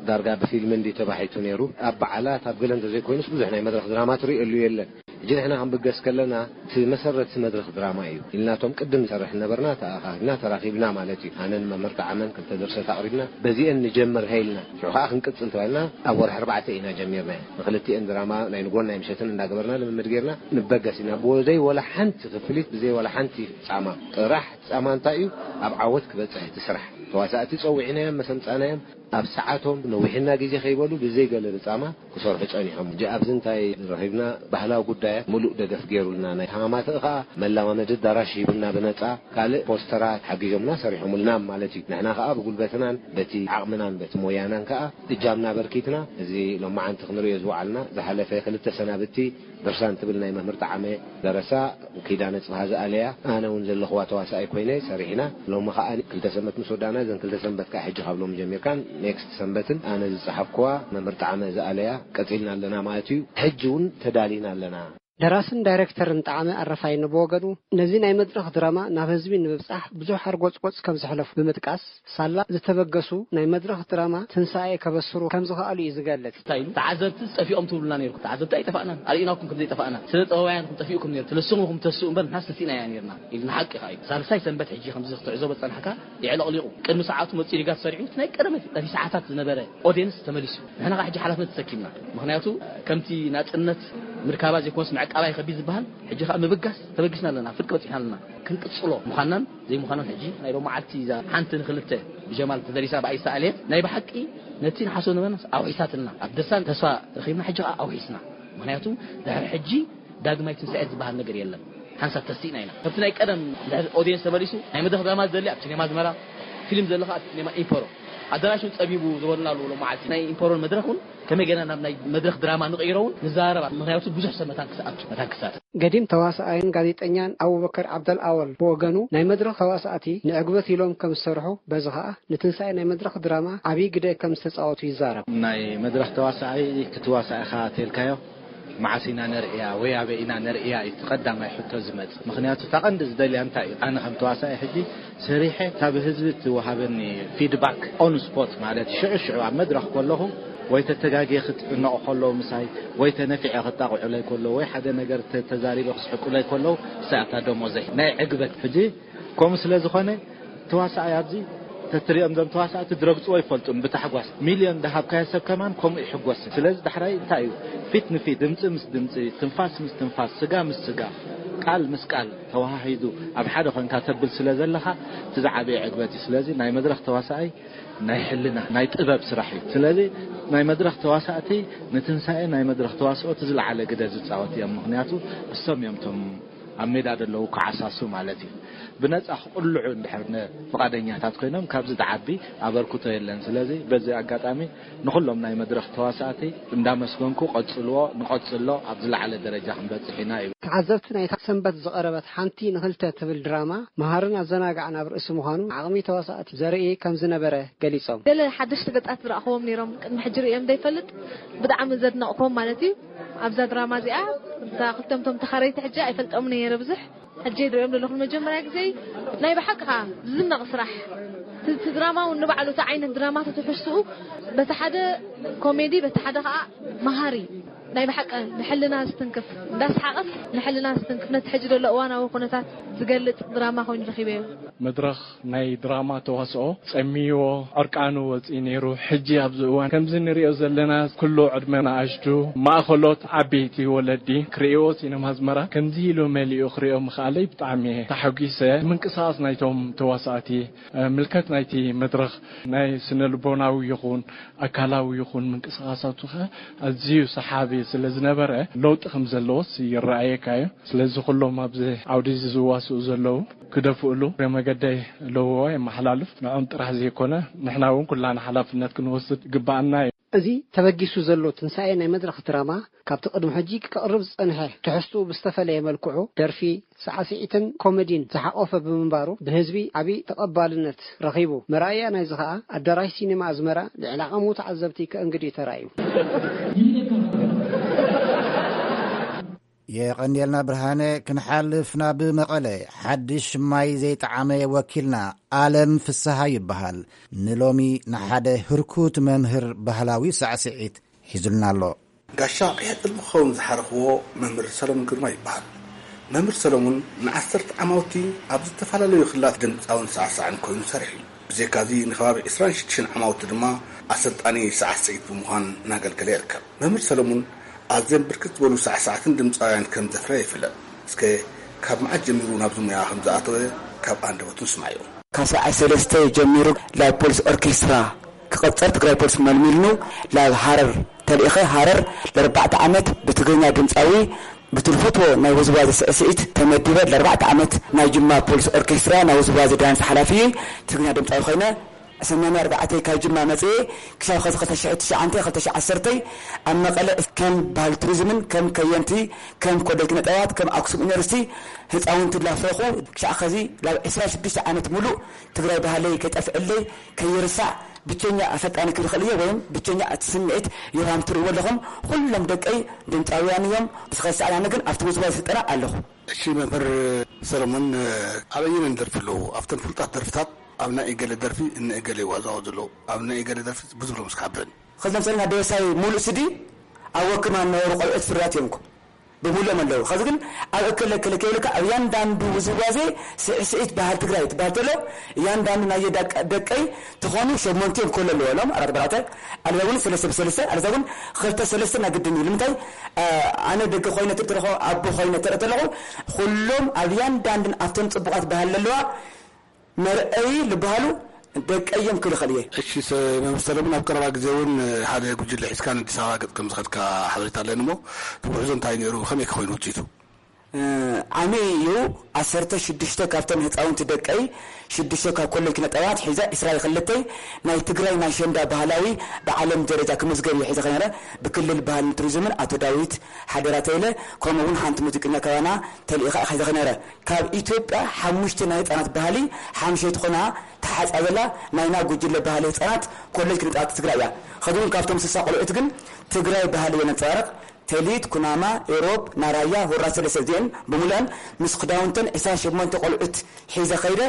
ዳርጋ ብፊልም እንዲ ተባሒቱ ነይሩ። ኣብ በዓላት ኣብ ገለ እንተዘይኮይኑስ ብዙሕ ናይ መድረኽ ድራማ ትርእየሉ የለን። ሕጂ ንሕና ክንብገስ ከለና እቲ መሰረት መድረኽ ድራማ እዩ ኢልናቶም ቅድም ንሰርሕ ነበርና፣ ተኣኻኺብና ተራኺብና ማለት እዩ። ኣነን መምህር ጣዕመን ክልተ ድርሰት ኣቕሪብና በዚአን ንጀምር ሃይልና ሽዑ ከዓ ክንቅጽል ተባሂልና ኣብ ወርሒ ኣርባዕተ ኢና ጀሚርና። ንክልቲአን ድራማ ናይ ንጎን ናይ ምሸትን እንዳገበርና ልምምድ ጌርና ንበገስ ኢና። ብዘይ ወላ ሓንቲ ክፍሊት፣ ብዘይ ወላ ሓንቲ ጻማ። ጥራሕ ጻማ እንታይ እዩ? ኣብ ዓወት ክበጽሕ እቲ ስራሕ። ተዋሳእቲ ጸዊዕናዮም መሰምጻናዮም ኣብ ሰዓቶም ነዊሕና ግዜ ከይበሉ ብዘይ ገለ ብጻማ ክሰርሑ ጸኒሖም። ሕጂ ኣብዚ እንታይ ረኺብና? ባህላዊ ጉዳያት ምሉእ ደገፍ ገይሩልና፣ ናይ ተሃማማቲ ኸኣ መለማመዲ ኣዳራሽ ሂቡና ብነጻ፣ ካልእ ፖስተራት ሓጊዞምና ሰሪሖምልና ማለት እዩ። ንሕና ኸኣ ብጉልበትናን በቲ ዓቕምናን በቲ ሞያናን ከኣ እጃምና በርኪትና፣ እዚ ሎማዓንቲ ክንርእዮ ዝወዓልና ዝሓለፈ ክልተ ሰናብቲ ድርሳን ትብል ናይ መምህር ጣዕመ ደረሳ፣ ኪዳነ ጽብሃ ዝኣለያ፣ ኣነ እውን ዘለኽዋ ተዋሳኣይ ኮይነ ሰሪሕና። ሎሚ ኸኣ ክልተ ሰንበት ምስ ወዳእና፣ እዘን ክልተ ሰንበት ከኣ ሕጂ ካብ ሎሚ ጀሚርካን ኔክስት ሰንበትን ኣነ ዝጸሓፍክዋ መምህር ጣዕመ ዝኣለያ ቀጺልና ኣለና ማለት እዩ። ሕጂ እውን ተዳሊና ኣለና። ደራስን ዳይሬክተርን ጣዕመ ኣረፋይነ ብወገኑ፣ ነዚ ናይ መድረኽ ድራማ ናብ ህዝቢ ንምብጻሕ ብዙሕ ሓርጎጽጎጽ ከም ዘሕለፉ ብምጥቃስ፣ ሳላ ዝተበገሱ ናይ መድረኽ ድራማ ትንሳኤ ከበስሩ ከም ዝኸኣሉ እዩ ዝገልጽ። እንታይ ኢሉ? ተዓዘብቲ ጠፊኦም ትብሉና ነይርኩም። ተዓዘብቲ ኣይጠፋእናን። ኣርእናኩም ከም ዘይጠፋእና። ስነ ጥበባውያን ኢኹም ጠፊእኩም ነይሩ። ትልስሙ ኢኹም ተስኡ እምበር ንሕናስ ተሲእናያ ነይርና። ኢልና ሓቂ ኸኣ እዩ። ሳልሳይ ሰንበት ሕጂ ከምዚ ክትዕዘቦ ዝጸናሕካ የዕለቕሊቑ። ቅድሚ ሰዓቱ መጺኡ ሊጋ ተሰሪዑ፣ እቲ ናይ ቀደም ነቲ ሰዓታት ዝነበረ ኦድየንስ ተመሊሱ። ንሕና ኸኣ ሕጂ ሓላፍነት ተሰኪምና። ምኽንያቱ ከምቲ ናጽነት ምርካባ ዘይኮነስ ምዕቃባ ይኸቢድ ዝበሃል፣ ሕጂ ኸኣ ምብጋስ ተበጊስና ኣለና። ፍርቂ በጺሕና ኣለና። ክንቅጽሎ ምዃንናን ዘይምዃንናን ሕጂ ናይ ሎማዓልቲ እዛ ሓንቲ ንኽልተ ብጀማል ተደሪሳ ብኣይ ዝተኣልየት ናይ ብሓቂ ነቲ ንሓስቦ ነበርናስ ኣውሒሳትልና። ኣብ ድርሳን ተስፋ ረኺብና፣ ሕጂ ኸኣ ኣውሒስና። ምኽንያቱ ድሕሪ ሕጂ ዳግማይ ትንሳኤ ዝበሃል ነገር የለን። ሓንሳብ ተሲእና ኢና። ከምቲ ናይ ቀደም ድሕሪ ኦድየንስ ተመሊሱ ናይ መድረኽ ድራማ ዝደሊ ኣብ ሲኔማ ኣዝመራ፣ ፊልም ዝደሊ ኸኣ ኣብ ሲኔማ ኢምፖሮ። ኣዳራሽ እውን ጸቢቡ ዝበሉና ኣለዉ። ሎማዓልቲ ናይ ኢምፖሮን መድረኽ እውን ከመይ ጌርና ናብ ናይ መድረኽ ድራማ ንቕይሮ እውን ንዘራረብ። ምኽንያቱ ብዙሕ ሰብ መታን ክስኣቱ፣ መታን ክሳተፍ። ገዲም ተዋሳኣይን ጋዜጠኛን ኣቡበከር ዓብደል ኣወል ብወገኑ፣ ናይ መድረኽ ተዋሳእቲ ንዕግበት ኢሎም ከም ዝሰርሑ፣ በዚ ኸኣ ንትንሳኤ ናይ መድረኽ ድራማ ዓብዪ ግደ ከም ዝተጻወቱ ይዛረብ። ናይ መድረኽ ተዋሳኣይ ክትዋሳእ ኢኻ ተልካዮ፣ መዓስ ኢና ነርእያ ወይ ኣበይ ኢና ነርእያ እዩ እቲ ቀዳማይ ሕቶ ዝመጽእ። ምኽንያቱ እታ ቀንዲ ዝደልያ እንታይ እዩ? ኣነ ከም ተዋሳኣይ ሕጂ ሰሪሐ እታ ብህዝቢ እትወሃበኒ ፊድባክ ኦን ስፖት ማለት ሽዑ ሽዑ ኣብ መድረኽ ከለኹ ወይ ተተጋግየ ክትዕነቑ ከለዉ ምሳይ ወይ ተነፊዐ ክጣቕዑለይ ከለዉ ወይ ሓደ ነገር ተ-፣ ተዛሪበ ክስሕቁለይ ከለዉ እሳ እታ ደሞዘይ ናይ ዕግበት። ሕጂ ከምኡ ስለ ዝኾነ ተዋሳኣይ ኣብዚ ተትሪኦም እዞም ተዋሳእቲ ድረግጽዎ ይፈልጡን ብታሕጓስ። ሚልዮን ደሃብካዮ ሰብ ከማን ከምኡ ይሕጎስን። ስለዚ ዳሕራይ እንታይ እዩ? ፊት ንፊት፣ ድምጺ ምስ ድምጺ፣ ትንፋስ ምስ ትንፋስ፣ ስጋ ምስ ስጋ፣ ቃል ምስ ቃል ተወሃሂዱ ኣብ ሓደ ኮንካ ተብል ስለ ዘለኻ እቲ ዝዓበየ ዕግበት እዩ። ስለዚ ናይ መድረኽ ተዋሳኣይ ናይ ሕልና፣ ናይ ጥበብ ስራሕ እዩ። ስለዚ ናይ መድረኽ ተዋሳእቲ ንትንሳኤ ናይ መድረኽ ተዋስኦ እቲ ዝለዓለ ግደ ዝጻወት እዮም። ምኽንያቱ እሶም እዮም እቶም ኣብ ሜዳ ዘለዉ ክዓሳሱ ማለት እዩ። ብነጻ ክቕልዑ እንድሕር ነ-፣ ፍቓደኛታት ኮይኖም ካብዚ ዝዓቢ ኣበርክቶ የለን። ስለዚ በዚ ኣጋጣሚ ንኹሎም ናይ መድረኽ ተዋሳእቲ እንዳመስገንኩ ቀጽልዎ፣ ንቐጽሎ ኣብ ዝለዓለ ደረጃ ክንበጽሕ ኢና ይብል። ተዓዘብቲ ናይታ ሰንበት ዝቐረበት ሓንቲ ንኽልተ ትብል ድራማ መሃርን ኣዘናጋዕን ኣብ ርእሲ ምዃኑ ዓቕሚ ተዋሳእቲ ዘርኢ ከም ዝነበረ ገሊጾም። ገለ ሓደሽቲ ገጻት ዝረኣኽዎም ነይሮም፣ ቅድሚ ሕጂ ርእዮም ዘይፈልጥ። ብጣዕሚ ዘድነቕክዎም ማለት እዩ። ኣብዛ ድራማ እዚኣ እታ ክልተምቶም ተኻረይቲ ሕጂ ኣይፈልጦምን እየ ነይረ ብዙሕ። ሕጂ ዝርእዮም ዘለኹ ንመጀመርያ ግዜ። ናይ ብሓቂ ኸኣ ዝድነቕ ስራሕ። እቲ፣ እቲ ድራማ እውን ንባዕሉ እቲ ዓይነት ድራማ ተትሕዝትኡ በቲ ሓደ ኮሜዲ በቲ ሓደ ኸኣ መሃሪ። ናይ ብሓቂ ንሕልና ዝትንክፍ፣ እንዳስሓቐስ ንሕልና ዝትንክፍ፣ ነቲ ሕጂ ዘሎ እዋናዊ ኩነታት ዝገልጽ ድራማ ኮይኑ ረኺበዮ። መድረኽ ናይ ድራማ ተዋስኦ ጸሚዎ፣ ዕርቃኑ ወጺኡ ነይሩ። ሕጂ ኣብዚ እዋን ከምዚ ንሪኦ ዘለና፣ ኩሉ ዕድመ ንኣሽቱ፣ ማእኸሎት፣ ዓበይቲ ወለዲ ክርእይዎ ሲነማ ኣዝመራ ከምዚ ኢሉ መሊኡ ክርእዮ ምኽኣለይ ብጣዕሚ እየ ተሓጒሰ። ምንቅስቓስ ናይቶም ተዋሳእቲ፣ ምልከት ናይቲ መድረኽ ናይ ስነ ልቦናዊ ይኹን ኣካላዊ ይኹን ምንቅስቓሳቱ ኸ ኣዝዩ ሰሓቢ ስለ ዝነበረ፣ ለውጢ ከም ዘለዎስ ይረኣየካ እዩ። ስለዚ ኩሎም ኣብዚ ዓውዲ እዚ ዝዋስኡ ዘለዉ ክደፍእሉ እግረ መገደይ ለውዋ የመሓላልፍ። ንዖም ጥራሕ ዘይኮነ፣ ንሕና እውን ኩላና ሓላፍነት ክንወስድ ይግባኣና እዩ። እዚ ተበጊሱ ዘሎ ትንሳኤ ናይ መድረኽ ድራማ፣ ካብቲ ቅድሚ ሕጂ ክቕርብ ዝጸንሐ ትሕዝትኡ ብዝተፈለየ መልክዑ፣ ደርፊ፣ ሳዕስዒትን ኮሜዲን ዝሓቖፈ ብምንባሩ፣ ብህዝቢ ዓቢ ተቐባልነት ረኺቡ። መርኣያ ናይዚ ኸኣ፣ ኣዳራሽ ሲኔማ ኣዝመራ ልዕሊ ዓቐሙ ተዓዘብቲ ከእንግድ እዩ ተራእዩ። የቐንየልና ብርሃነ። ክንሓልፍ ናብ መቐለ፣ ሓድሽ ማይ ዘይጠዓመ ወኪልና ኣለም ፍስሃ ይበሃል። ንሎሚ ንሓደ ህርኩት መምህር ባህላዊ ሳዕስዒት ሒዙልና ኣሎ። ጋሻ ቀይሕ ጥልሚ ክኸውን ዝሓረኽዎ መምህር ሰለሙን ግርማ ይበሃል። መምህር ሰለሙን ንዓሰርተ ዓማውቲ ኣብ ዝተፈላለዩ ክልላት ድምፃውን ሳዕሳዕን ኮይኑ ሰሪሑ እዩ። ብዘይካዚ ንከባቢ ዕስራን ሽዱሽተን ዓማውቲ ድማ ኣሰልጣኒ ሳዕስዒት ብምዃን እናገልገለ ይርከብ። መምህር ሰለሙን ኣዝዮም ብርክት ዝበሉ ሳዕሳዕትን ድምፃውያን ከም ዘፍረየ ይፍለጥ። እስከ ካብ መዓስ ጀሚሩ ናብዚ ሙያ ከም ዝኣተወ ካብ ኣንደበቱ ንስማዮ። ካብ ሰብዓይ ሰለስተ ጀሚሩ ናይ ፖሊስ ኦርኬስትራ ክቐጸር ትግራይ ፖሊስ መልሚልኑ ናብ ሃረር ተልኢኸ። ሃረር ለርባዕተ ዓመት ብትግርኛ ድምፃዊ ብትልፈትዎ ናይ ውዝዋዜ ስዕስዒት ተመዲበ ለርባዕተ ዓመት ናይ ጅማ ፖሊስ ኦርኬስትራ ናይ ውዝዋዜ ዳንስ ሓላፊ ትግርኛ ድምፃዊ ኮይነ። ሰማንያ ኣርባዕተ ካብ ጅማ መፅኤ ክሳብ ኸዚ ክልተ ሽሕ ትሽዓተ ክልተ ሽሕ ዓሰርተ ኣብ መቐለ ከም ባህል ቱሪዝምን ከም ከየንቲ ከም ኮሌጅ ኪነ ጥበባት ከም ኣክሱም ዩኒቨርሲቲ ህፃውንቲ ላፍረኹ ክሻዕ ኸዚ ላብ ዕስራ ሽዱሽተ ዓመት ሙሉእ ትግራይ ባህለይ ከይጠፍዕለይ ከይርሳዕ ብቸኛ ኣሰልጣኒ ክብል ይኽእል እየ ወይም ብቸኛ እቲ ስምዒት ዮሃም ትርእይዎ ኣለኹም። ኩሎም ደቀይ ድምፃውያን እዮም። ብስኸ ሰዓት ኣነ ግን ኣብቲ ውዝዋዜ ስልጠና ኣለኹ። እሺ መምህር ሰለሞን፣ ኣበየነን ደርፊ ኣለዉ? ኣብተን ፍሉጣት ደርፍታት ኣብ ናይ እገለ ደርፊ እነ እገለ ይዋዛወዙ ኣለዉ። ኣብ ናይ እገለ ደርፊ ብዙ ብሎም እስኪ ሓብረኒ። ኸዚ ለምሳሌ ናይ ደበሳይ ሙሉእ ስዲ ኣብ ወክማ እነበሩ ቆልዑት ፍርያት እዮም እኮ ብሙሉኦም ኣለዉ። ኸዚ ግን ኣብ እከለ እከለ ከይብልካ ኣብ እያንዳንዱ ውዝዋዜ ስዕስዒት ባህል ትግራይ ትበሃል ተሎ እያንዳንዱ ናይ ደቀይ ተኾኑ ሸሞንቲኦም ክህሉ ኣለዎ ኢሎም ኣራት ብኣራት ኣለዛ እውን ሰለስተ ብሰለስተ ኣለዛ እውን ክልተ ሰለስተ ናይ ግድን እዩ። ንምንታይ ኣነ ደገ ኮይነ ትርኢ ተለኹ ኣቦ ኮይነ ትርኢ ተለኹ ኩሎም ኣብ እያንዳንድን ኣብተን ፅቡቓት ባህል ኣለዋ መርአይ ዝበሃሉ ደቀዮም ክልኸል እየ። እሺ መምህር ሰለሙን ኣብ ቀረባ ግዜ እውን ሓደ ጉጅለ ሒዝካ ንኣዲስ ኣበባ ገፅ ከም ዝኸድካ ሓበሬታ ኣለኒ እሞ እቲ ጉዕዞ እንታይ ነይሩ ከመይ ክኾይኑ ውፅኢቱ? ዓሚ እዩ። ዓሰርተ ሽዱሽተ ካብተን ህፃውንቲ ደቀይ ሽዱሽተ ካብ ኮሌጅ ኪነ ጥበባት ሒዘ ዕስራ ክልተይ ናይ ትግራይ ናይ ሸንዳ ባህላዊ ብዓለም ደረጃ ክምዝገብ እዩ ሒዘ ከነረ ብክልል ባህልን ቱሪዝምን ኣቶ ዳዊት ሓደራ ተይለ ከምኡ እውን ሓንቲ ሙዚቀኛ ካባና ተልኢኻ ሒዘ ከነረ ካብ ኢትዮጵያ ሓሙሽተ ናይ ህፃናት ባህሊ ሓምሸይቲ ኮና ተሓፃ ዘላ ናይና ጉጅለ ባህሊ ህፃናት ኮሌጅ ኪነ ጥበባት ትግራይ እያ። ከዚ እውን ካብቶም ስሳ ቆልዑት ግን ትግራይ ባህሊ የነንፀባርቕ ተሊት፣ ኩናማ፣ ኤሮብ፣ ናራያ፣ ሁራ ሰለስተ እዚአን ብምሉአን ምስ ክዳውንተን ዕስራን ሸሞንተ ቆልዑት ሒዘ ከይደ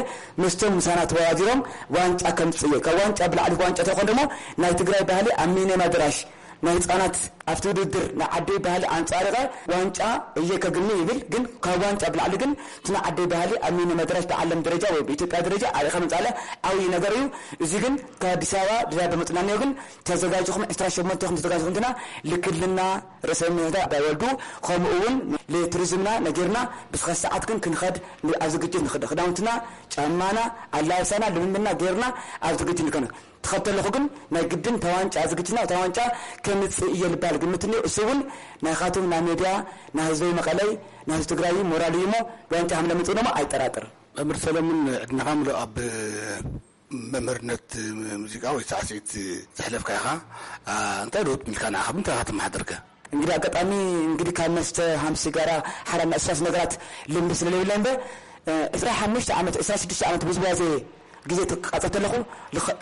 ምስቶም ምሳና ተወዳዲሮም ዋንጫ ከምፅእ እየ። ካብ ዋንጫ ብላዕሊ ዋንጫ ተኾን ደሞ ናይ ትግራይ ባህሊ ኣብ ሚኒየም ኣደራሽ ናይ ህፃናት ኣብቲ ውድድር ናይ ዓደይ ባህሊ ኣንፃሪቐ ዋንጫ እየ ከግኒ ይብል። ግን ካብ ዋንጫ ብላዕሊ ግን እቲ ናይ ዓደይ ባህሊ ኣብ ሚኒየም ኣደራሽ ብዓለም ደረጃ ወይ ብኢትዮጵያ ደረጃ ኣሪኸ ምምፃለ ዓብዪ ነገር እዩ። እዚ ግን ካብ ኣዲስ ኣበባ ድዳ ብምፅናንዮ ግን ተዘጋጅኹም ዕስራ ሸሞንተ ኹም ተዘጋጅኹም እንትና ልክልና ርእሰ ምሕታ ኣባይ ወልዱ ከምኡ እውን ለቱሪዝምና ነጊርና ብስኸ ሰዓት ግን ክንኸድ ኣብ ዝግጅት ንኽደ ክዳውንትና ጫማና ኣላብሳና ልምምድና ጌርና ኣብ ዝግጅት ንከነ ትኸተለኹ ግን ናይ ግድን ተዋንጫ ዝግጅትና ተዋንጫ ከምፅእ እየ ልባል ግምት እኒኦ። እሱ እውን ናይኻቶም ናይ ሜድያ ናይ ህዝበይ መቐለይ ናይ ህዝቢ ትግራይ ሞራል እዩ እሞ ዋንጫ ከም ለምፅእ ደሞ ኣይጠራጥር። መምህር ሰለሙን ዕድሜኻ ምሉእ ኣብ መምህርነት ሙዚቃ ወይ ሳዕስዒት ዘሕለፍካ ኢኻ። እንታይ ለውጥ ሚልካ ንዓኻ ብምንታይ ኢኻ ተመሓደርከ? እንግዲህ ኣጋጣሚ እንግዲህ ካብ መስተ ሃም ሲጋራ ሓራም ናይ እሳስ ነገራት ልምዲ ስለለይብለ እምበር ዕስራ ሓሙሽተ ዓመት ዕስራ ሽዱሽተ ዓመት ውዝዋዜ ግዜ ትቃጸር ተለኹ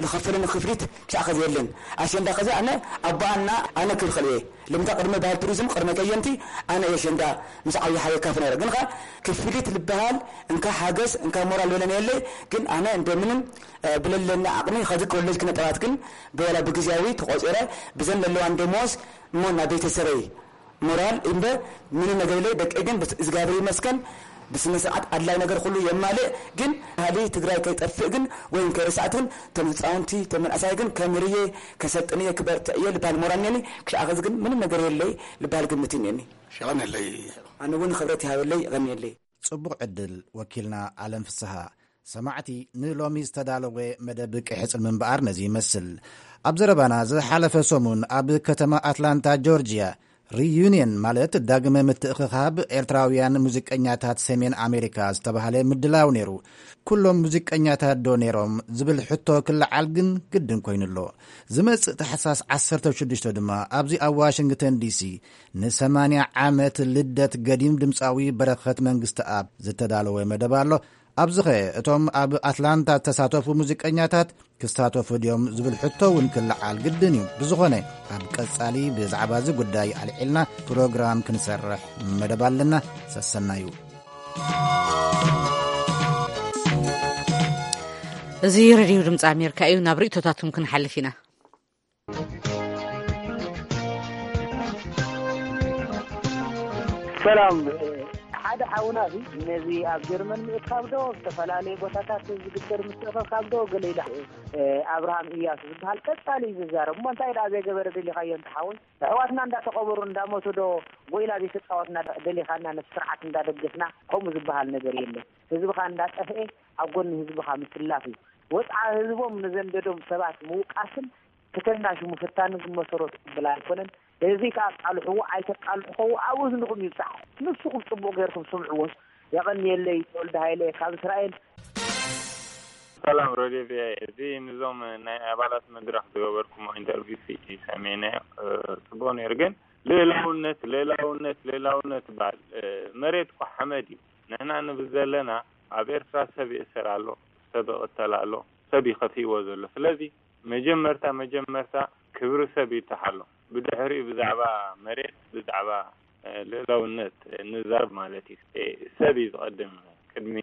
ልኸፈለኒ ክፍሊት ክሻዕ ኸዚ የለን። ኣሸንዳ ኸዚ ኣነ ኣቦኣና ኣነ ክብል ኸልየ ልምታ ቅድመ ባህል ቱሪዝም ቅድመ ከየንቲ ኣነ የሸንዳ ምስ ዓብዪ ሓየ ካፍ ነረ ግን ኸ ክፍሊት ልበሃል እንካ ሓገዝ እንካ ሞራል በለኒ የለይ። ግን ኣነ እንደምንም ብለለኒ ዓቕሚ ኸዚ ኮሌጅ ክነጠባት ግን ብወላ ብግዜያዊ ተቖጺረ ብዘን ለለዋን ደሞዝ እሞ ናብ ቤተሰበይ ሞራል እምበር ምንም ነገር የለይ። ደቀይ ግን ብስ- እግዚኣብሔር ይመስገን ብስነ ስርዓት ኣድላይ ነገር ኩሉ የማልእ። ግን ባህሊ ትግራይ ከይጠፍእ ግን ወይም ከይረሳዕት ግን፣ ተም ህፃውንቲ ተመንእሳይ ግን ከምርየ ከሰልጥንየ ክበርትዕየ ልባል ሞራል ነኒ። ክሻኸዚ ግን ምንም ነገር የለይ ልባል ግምት ነኒ። ሸቐን የለይ። ኣነ እውን ክብረት ይሃበለይ። ይቐንየለይ። ጽቡቕ ዕድል። ወኪልና ኣለም ፍስሃ። ሰማዕቲ፣ ንሎሚ ዝተዳለወ መደብ ቀይሕጽን ምንባር ነዚ ይመስል። ኣብ ዘረባና ዝሓለፈ ሰሙን ኣብ ከተማ ኣትላንታ ጆርጅያ ሪዩኒየን፣ ማለት ዳግመ ምትእኽኻብ ኤርትራውያን ሙዚቀኛታት ሰሜን ኣሜሪካ ዝተባህለ ምድላው ነይሩ። ኩሎም ሙዚቀኛታት ዶ ነይሮም ዝብል ሕቶ ክለዓል ግን ግድን ኮይኑ ኣሎ። ዝመጽእ ታሕሳስ ዓሰርተ ሽዱሽተ ድማ ኣብዚ ኣብ ዋሽንግተን ዲሲ ንሰማንያ ዓመት ልደት ገዲም ድምፃዊ በረኸት መንግስተኣብ ዝተዳለወ መደብ ኣሎ። ኣብዚኸ እቶም ኣብ ኣትላንታ ዝተሳተፉ ሙዚቀኛታት ክሳተፉ ድዮም ዝብል ሕቶ እውን ክለዓል ግድን እዩ። ብዝኾነ ኣብ ቀጻሊ ብዛዕባ እዚ ጉዳይ ኣልዒልና ፕሮግራም ክንሰርሕ መደብ ኣለና። ሰሰናዩ። እዚ ሬድዮ ድምፂ ኣሜሪካ እዩ። ናብ ርእቶታትኩም ክንሓልፍ ኢና። ሰላም። ሓደ ሓውና እዚ ነዚ ኣብ ጀርመን ምእካብ ዶ ኣብ ዝተፈላለዩ ቦታታት ዝግበር ምትእኽኻብ ዶ ገለ ኢላ ኣብርሃም እያሱ ዝበሃል ቀጻሊ እዩ ዝዛረብ። እሞ እንታይ ደኣ ዘይገበረ ደሊኻዮ እንተ ሓወይ? ኣሕዋትና እንዳተቐበሩ እንዳሞቱ ዶ ጎይላ ዘይተጻወትና ደሊኻና ነቲ ስርዓት እንዳደገፍና ከምኡ ዝበሃል ነገር የለን። ህዝብኻ እንዳጠፍኤ ኣብ ጎኒ ህዝብኻ ምስላፍ እዩ። ወጽዓ ህዝቦም ንዘንደዶም ሰባት ምውቃስን ክተናሹ ምፍታንን ዝመሰረቱ ቅብል ኣይኮነን። እዚ ከኣ ኣቃልሕዎ ኣይተቃልሕኸዎ ኣብ እዝንኹም ይብጻሕ። ንስኹም ጽቡቕ ጌርኩም ስምዕዎ። የቐንየለይ ተወልደ ሃይለ ካብ እስራኤል። ሰላም ሬድዮ ቪኦኤ፣ እዚ ንዞም ናይ ኣባላት መድረኽ ዝገበርኩሞ ኢንተርቪው ሲ ሰሜነ ጽቡቕ ነይሩ፣ ግን ልእላውነት ልእላውነት ልእላውነት ይበሃል። መሬት እኮ ሓመድ እዩ። ንሕና ንብል ዘለና ኣብ ኤርትራ ሰብ ይእሰር ኣሎ፣ ሰብ ይቕተል ኣሎ፣ ሰብ ይኸፍእዎ ዘሎ። ስለዚ መጀመርታ መጀመርታ ክብሪ ሰብ ይተሓሎ፣ ብድሕሪኡ ብዛዕባ መሬት ብዛዕባ ልእላውነት ንዛረብ ማለት እዩ። ሰብ እዩ ዝቐድም ቅድሚ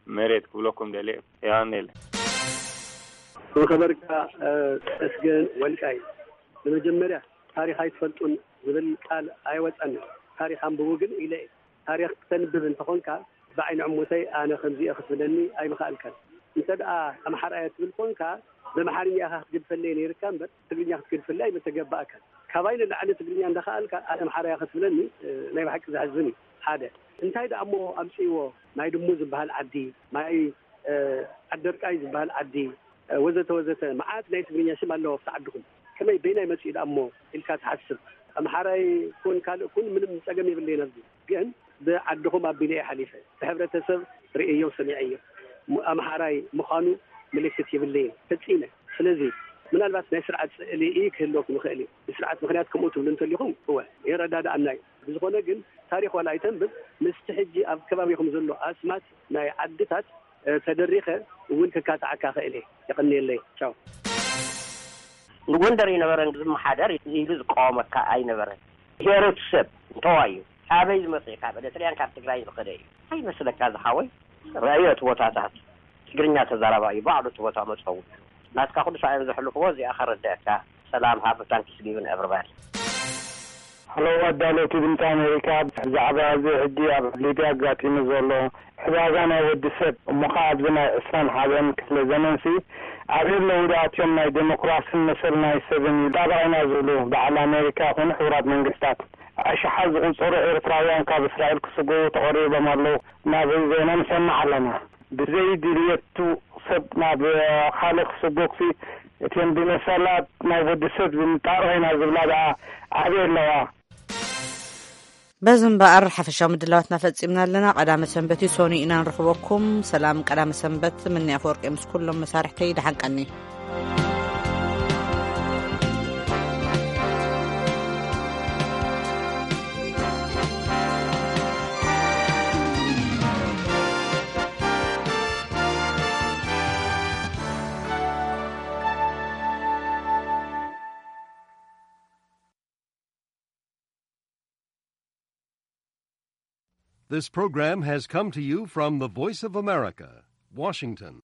መሬት ክብለኩም ደልየ። የቐንየለይ። ዝኸበርካ ተመስገን ወልቃይ፣ ብመጀመርያ ታሪኽ ኣይትፈልጡን ዝብል ቃል ኣይወፀንን። ታሪኽ ኣንብቡ ግን ኢለ እየ። ታሪኽ ክተንብብ እንተኾንካ ብዓይኒ ዕሞተይ ኣነ ከምዚ እየ ክትብለኒ ኣይምኸኣልካን። እንተ ደኣ ኣምሓራ እየ ትብል ኮንካ ብኣምሓርኛ ኢኻ ክትገድፈለይ ነይርካ እምበር ትግርኛ ክትገድፈለይ ኣይምተገባእካን። ካባይ ንላዕሊ ትግርኛ እንዳኸኣልካ ኣነ ኣምሓራ እየ ክትብለኒ ናይ ብሓቂ ዘሕዝን እዩ። ሓደ እንታይ ደኣ እሞ ኣምፅእዎ ናይ ድሙ ዝበሃል ዓዲ ማይ ዓደርቃይ ዝበሃል ዓዲ ወዘተ ወዘተ መዓት ናይ ትግርኛ ሽም ኣለዎ ኣብቲ ዓድኹም። ከመይ በይናይ መፂኡ ደኣ እሞ ኢልካ ትሓስብ። ኣምሓራይ ኩን ካልእ ኩን ምንም ፀገም የብለይን። ኣብዚ ግን ብዓድኹም ኣቢለ እየ ሓሊፈ። እቲ ሕብረተሰብ ርእየዮ ሰሚዐዮ ኣምሓራይ ምዃኑ ምልክት የብለይን ፈፂመ። ስለዚ ምናልባት ናይ ስርዓት ስእሊ ክህልወኩም ይኽእል እዩ። ብስርዓት ምኽንያት ከምኡ ትብሉ እንተሊኹም እወ ይረዳድኣና እዩ። ብዝኾነ ግን ታሪኽ ዋላ ኣይተንብብ ምስቲ ሕጂ ኣብ ከባቢኹም ዘሎ ኣስማት ናይ ዓድታት ተደሪኸ እውን ክካትዓካ ክእል እየ። የቐንየለይ። ቻው። ንጎንደር ይነበረን ዝመሓደር ኢሉ ዝቃወመካ ኣይነበረን። ሄሮት ሰብ እንተዋዩ ካበይ ዝመፀ እዩ? ካብ ኤርትራያን ካብ ትግራይ ዝኸደ እዩ። ኣይመስለካ ዝሓወይ ረእዮ እቲ ቦታታት ትግርኛ ተዛራባ እዩ ባዕሉ እቲ ቦታ መፀው ናትካ ኩሉ ሳእን ዘሕልፍዎ እዚኣ ከረድአካ። ሰላም ሃብ ታንክስ ጊቭን ኤቨርባዲ። ሀሎ ኣዳለውቲ ድምፂ ኣሜሪካ፣ ብዛዕባ እዚ ሕጂ ኣብ ሊብያ ኣጋጢሙ ዘሎ ዕባጋ ናይ ወዲ ሰብ እሞ ኸዓ ኣብዚ ናይ ዕስራን ሓደን ክፍለ ዘመንሲ ኣበይ ኣለዉ ደኣ እትዮም ናይ ዴሞክራስን መሰል ናይ ሰብን ይጣበቕ ኢና ዝብሉ በዓል ኣሜሪካ ይኹኑ ሕቡራት መንግስታት ኣሽሓት ዝቑጸሩ ኤርትራውያን ካብ እስራኤል ክስጎጉ ተቐሪቦም ኣለዉ ናብ ዜና ንሰምዕ ኣለና። ብዘይ ድልየቱ ሰብ ናብ ካልእ ክስጎግሲ እተን ብመሰላት ናይ ወዲ ሰብ ዝንጣርቕ ኢና ዝብላ ደኣ ኣበይ ኣለዋ? በዚ እምበኣር ሓፈሻዊ ምድላዋትና ፈጺምና ኣለና። ቀዳመ ሰንበት እዩ፣ ሶኒ ኢና ንረኽበኩም። ሰላም ቀዳመ ሰንበት። ምኒ ኣፈወርቂ ምስ ኩሎም መሳርሕተይ ደሓን ቀኒ። This program has come to you from the Voice of America, Washington.